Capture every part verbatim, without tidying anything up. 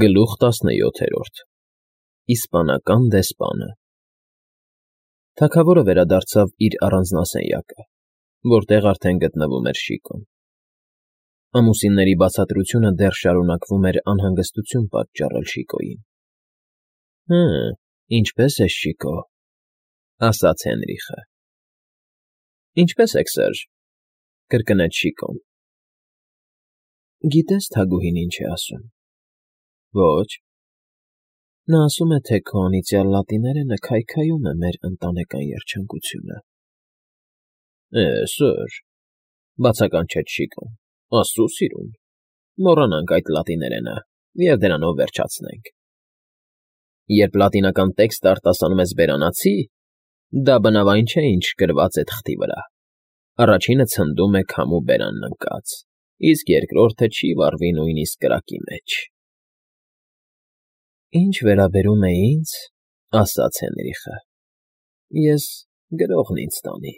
Գլուխ տասնյոթերորդ Իսպանական դեսպանը Թագավորը վերադարձավ իր առանձնասենյակը, որտեղ արդեն գտնվում էր Շիկոն։ Ամուսինների բացատրությունը դեռ շարունակվում էր անհանգստություն պատճառել Շիկոյին։ ֊ Հը, ինչպե՞ս ես, Շիկո,֊ ասաց Հենրիխը։ ֊ Ինչպե՞ս եք, սըր,֊ կրկնեց Շիկոն։ ֊ Գիտե՞ս թագուհին ինչ է ասում։ ֊ Ոչ։ ֊ Նա ասում է, թե քո անիծյալ լատիներենը քայքայում է մեր ընտանեկան երջանկությունը։ ֊ Է, սըր,֊ բացականչեց Շիկոն,֊ աստծու սիրուն, մոռանանք այդ լատիներենը և դրանով վերջացնենք։ Երբ լատինական տեքստը արտասանում ես բերանացի, դա բնավ այն չէ, ինչ գրված է թղթի վրա. առաջինը ցնդում է քամու բերանն ընկած, իսկ երկրորդը չի վառվի նույնիսկ կրակի մեջ։ ֊ Ինչ վերաբերում է ինձ,֊ ասաց Հենրիխը,֊ ես գրողն ինձ տանի,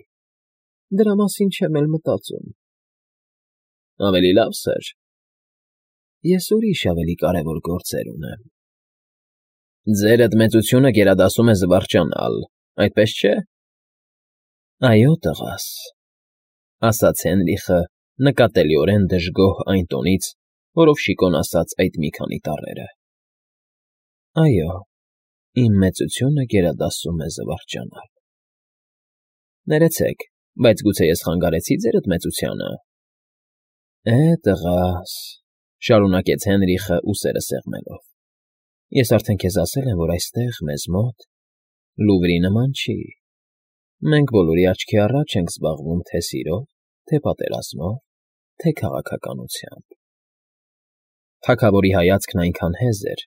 դրա մասին չեմ էլ մտածում։ ֊ Ավելի լավ, սըր։ ֊ Ես ուրիշ ավելի կարևոր գործեր ունեմ։ ֊ Ձերդ մեծությունը գերադասում է զվարճանալ, այդպես չէ։ ֊ Այո, տղաս,֊ ասաց Հենրիխը նկատելիորեն դժգոհ այն տոնից, որով Շիկոն ասաց այդ մի քանի տառերը։ ֊ Այո, իմ մեծությունը գերադասում է զվարճանալ։ ֊ Ներեցեք, բայց գուցե ես խանգարեցի՞ ձերդ մեծությանը։ ֊ Է, տղաս,֊ շարունակեց Հենրիխը ուսերը սեղմելով,֊ ես արդեն քեզ ասել եմ, որ այստեղ, մեզ մոտ, Լուվրի նման չի։ Մենք բոլորի աչքի առաջ ենք զբաղվում թե՛ սիրով, թե՛ պատերազմով, թե՛ քաղաքականությամբ։ Թագավորի հայացքն այնքան հեզ էր,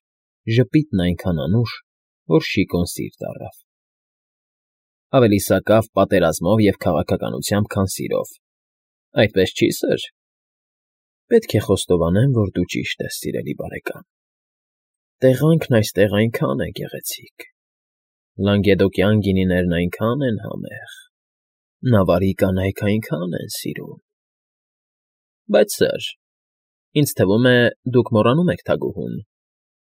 ժպիտն այնքան անուշ, որ Շիկոն սիրտ առավ։ ֊ Ավելի սակավ պատերազմով և քաղաքականությամբ, քան սիրով, այդպես չի՞ սըր։ ֊ Պետք է խոստովանեմ, որ դու ճիշտ ես, սիրելի բարեկամ։ Տեղանքն այստեղ այնքան է գեղեցիկ, լանգեդոկյան գինիներն այնքան են համեղ, նավարի կանայք այնքան են սիրուն։ ֊ Բայց, սըր, ինձ թվում է, դուք մոռանում եք թագուհուն,֊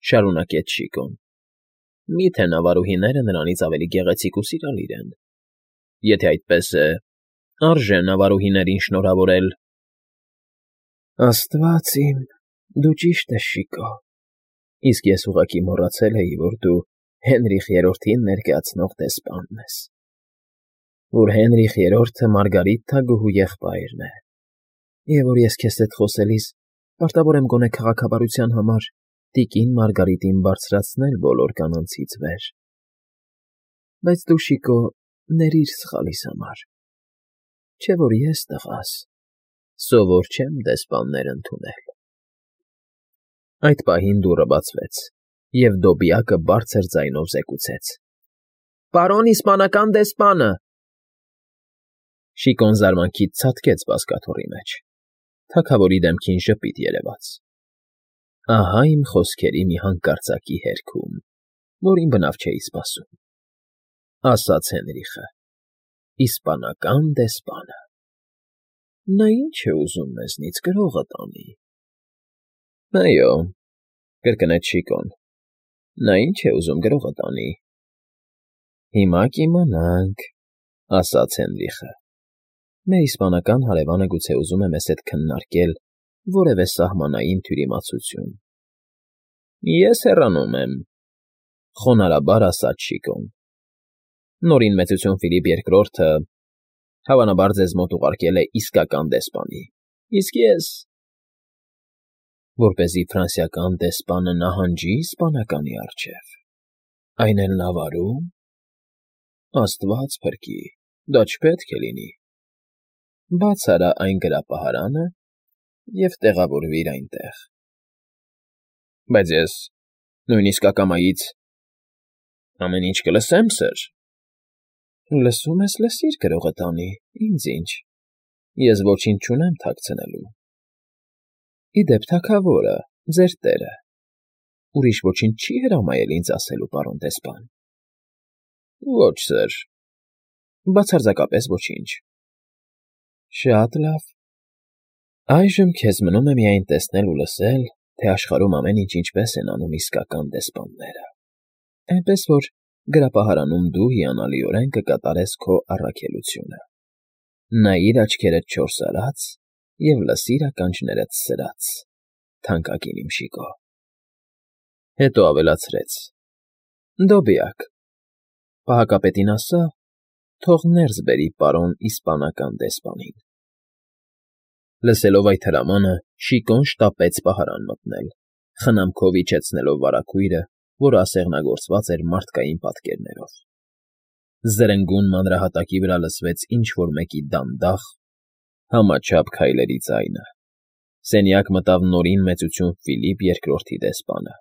շարունակեց Շիկոն։ Մի՞թե նավարուհիները նրանից ավելի գեղեցիկ ու սիրալիր են։ Եթե այդպես է, արժե նավարուհիներին շնորհավորել։ ֊ Աստված իմ, դու ճիշտ ես, Շիկո, իսկ ես ուղղակի մոռացել էի, որ դու Հենրիխ Երրորդին ներկայացնող դեսպանն ես, որ Հենրիխ Երրորդը Մարգարիտ թագուհու եղբայրն է, և որ ես քեզ հետ խոսելիս պարտավոր եմ գոնե քաղաքավարության համար տիկին Մարգարիտին բարձրացնել բոլոր կանանցից վեր։ Բայց դու, Շիկո, ներիր սխալիս համար, չէ՞ որ ես, տղաս, սովոր չեմ դեսպաններ ընդունել։ Այդ պահին դուռը բացվեց, և Դոբիակը բարձր ձայնով զեկուցեց. ֊ Պարոն իսպանական դեսպանը… Շիկոն զարմանքից ցատկեց բազկաթոռի մեջ, թագավորի դեմքին ժպիտ երևաց։ Ահա իմ խոսքերի մի հանկարծակի հերքում, որին բնավ չէի սպասում,֊ ասաց Հենրիխը,֊ իսպանական դեսպանը… Նա ի՞նչ է ուզում մեզնից, գրողը տանի։ ֊ Այո,֊ կրկնեց Շիկոն,֊ նա ինչ է ուզում, գրողը տանի։ ֊ Հիմա կիմանանք,֊ ասաց Հենրիխը,֊ մեր իսպանական հարևանը գուցե ուզում է մեզ հետ քննարկել որևէ սահմանային թյուրիմացություն։ ֊ Ես հեռանում եմ,֊ խոնարհաբար ասաց Շիկոն։ Նորին մեծություն Ֆիլիպ Երկրորդը, հավանաբար, ձեզ մոտ ուղարկել է իսկական դեսպանի, իսկ ես… Որպեսզի ֆրանսիական դեսպանը նահանջի իսպանականի առջև, այն էլ նավարու՞մ… Աստված փրկի, դա չպետք է լինի… Բաց արա այն գրապահարանը և տեղավորվիր այնտեղ։ ֊ Բայց ես նույնիսկ ակամայից… ամեն ինչ կլսեմ, սըր։ ֊ Լսում ես, լսիր, գրողը տանի, ինձ ինչ, ես ոչինչ չունեմ թաքցնելու։ Ի դեպ, թագավորը, ձեր տերը, ուրիշ ոչինչ չի՞ հրամայել ինձ ասելու, պարոն դեսպան։ ֊ Ոչ, սըր, բացարձակապես ոչինչ։ ֊ Շատ լավ, այժմ քեզ մնում է միայն տեսնել ու լսել, թե աշխարհում ամեն ինչ ինչպես են անում իսկական դեսպանները, այնպես որ գրապահարանում դու հիանալիորեն կկատարես քո առաքելությունը։ Նայիր աչքերդ չորս արած և լսիր ականջներդ սրած, թանկագին իմ Շիկո։ Հետո ավելացրեց. Դոբիակ, պահակապետին ասա, թող ներս բերի պարոն իսպանական դեսպանին։ Լսելով այդ հրամանը, Շիկոն շտապեց պահարան մտնել, խնամքով իջեցնելով վարագույրը, որը ասեղնագործված էր մարդկային պատկերներով։ Զրնգուն մանրահատակի վրա լսվեց ինչ֊որ մեկի դանդաղ, համաչափ քայլերի ձայնը։ Սենյակ մտավ Նորին մեծություն Ֆիլիպ երկրորդի դեսպանը։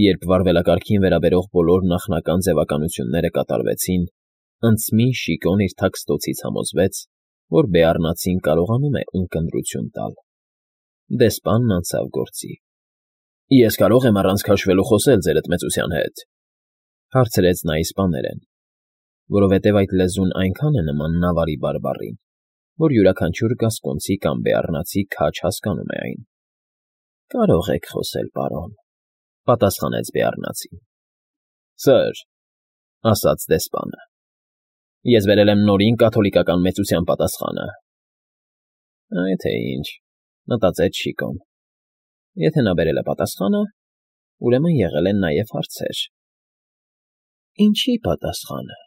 Երբ վարվելակարգին վերաբերող բոլոր նախնական ձևականությունները կատարվեցին, ընծմի Շիկոն իր թաքստոցից համոզվեց, որ բեառնացին կարողանում է ունկնդրություն տալ։ Դեսպանն անցավ գործի։ Ես կարող եմ առանց քաշվելու խոսել ձերդ մեծության հետ, հարցրեց նա իսպաներեն, որովհետև այդ լեզուն այնքան է նման նավարի բարբառին, որ յուրաքանչյուր գասկոնցի կամ բեառնացի քաջ հասկանում է այն։ Կարող եք խոսել, պարոն, պատասխանեց բեառնացին։ Սըր, ասաց դեսպանը, ես վերել եմ Նորին կաթոլիկական մեծության պատասխանը։ Այ թե ինչ, մտածեց Շիկոն։ Եթե նա բերել է պատասխանը, ուրեմն եղել են նաև հարցեր։ Ինչի պատասխանը,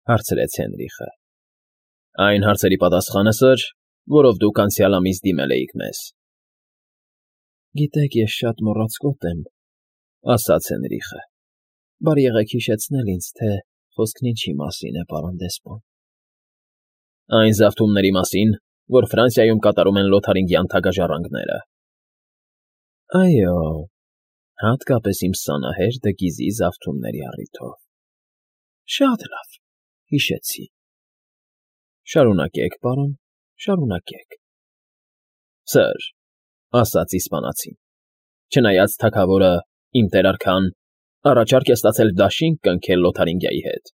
հարցրեց Հենրիխը։ Այն հարցերի պատասխանը, սըր, որով դուք անցյալ ամիս դիմել էիք մեզ։ Գիտեք, ես շատ մոռացկոտ եմ, ասաց Հենրիխը։ Բարի եղեք հիշեցնել ինձ, թե խոսքն ինչի մասին է, պարոն դեսպան։ Այն զավթումների մասին, որ Ֆրանսիայում կատարում են լոթարինգյան թագաժառանգները։ Այո, հատկապես իմ սանահեր Դգիզի զավթումների առիթով։ Շատ լավ, հիշեցի։ Շարունակեք, պարոն, շարունակեք։ Սըր, ասաց իսպանացին, չնայած թագավորը, իմ տեր արքան, առաջարկ է ստացել դաշինք կնքել Լոթարինգիայի հետ,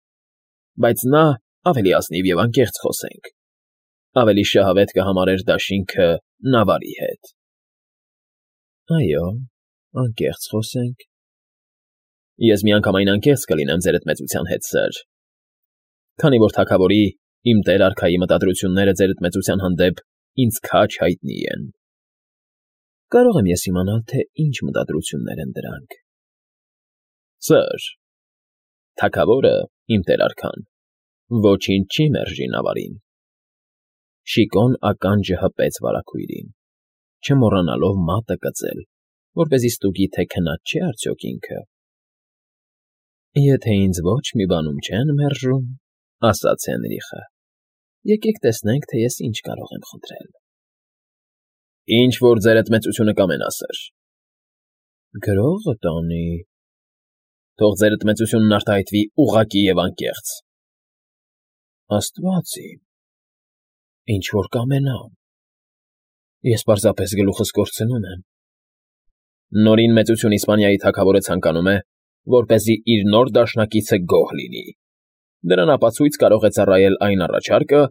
բայց նա, ավելի ազնիվ և անկեղծ խոսենք, ավելի շահավետ կհամարեր դաշինքը նավարի հետ։ Այո, անկեղծ խոսենք։ Ես միանգամայն անկեղծ կլինեմ ձերդ մեծության հետ, սըր, քանի որ թագավորի, իմ տեր արքայի մտադրությունները ձերդ մեծության հանդեպ ինձ քաջ հայտնի են։ Կարող եմ ես իմանալ, թե ինչ մտադրություններ են դրանք։ Սըր, թագավորը, իմ տեր արքան, ոչինչ չի մերժի նավարին։ Շիկոն ականջը հպեց վարագույրին, չմոռանալով մատը կծել, որպեսզի ստուգի, թե քնած չէ արդյոք ինքը։ Եթե ինձ ոչ մի բանում չեն մերժում, ասաց Հենրիխը, եկեք տեսնենք, թե ես ինչ կարող եմ խնդրել։ Ինչ որ ձերդ մեծությունը կամենա, սըր։ Գրողը տանի։ Թող ձերդ մեծությունն արտահայտվի ուղղակի և անկեղծ։ Աստված իմ, ինչ որ կամենամ։ Ես պարզապես գլուխս կորցնում եմ։ Նորին մեծություն Իսպանիայի թագավորը ցանկանում է, որպեսզի իր նոր դաշնակիցը գոհ լինի։ Դրան ապացույց կարող է ծառայել այն առաջարկը,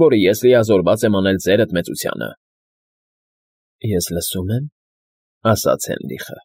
որը ես լիազորված եմ անել ձերդ մեծությանը։ Ես լսում եմ, ասաց Հենրիխը։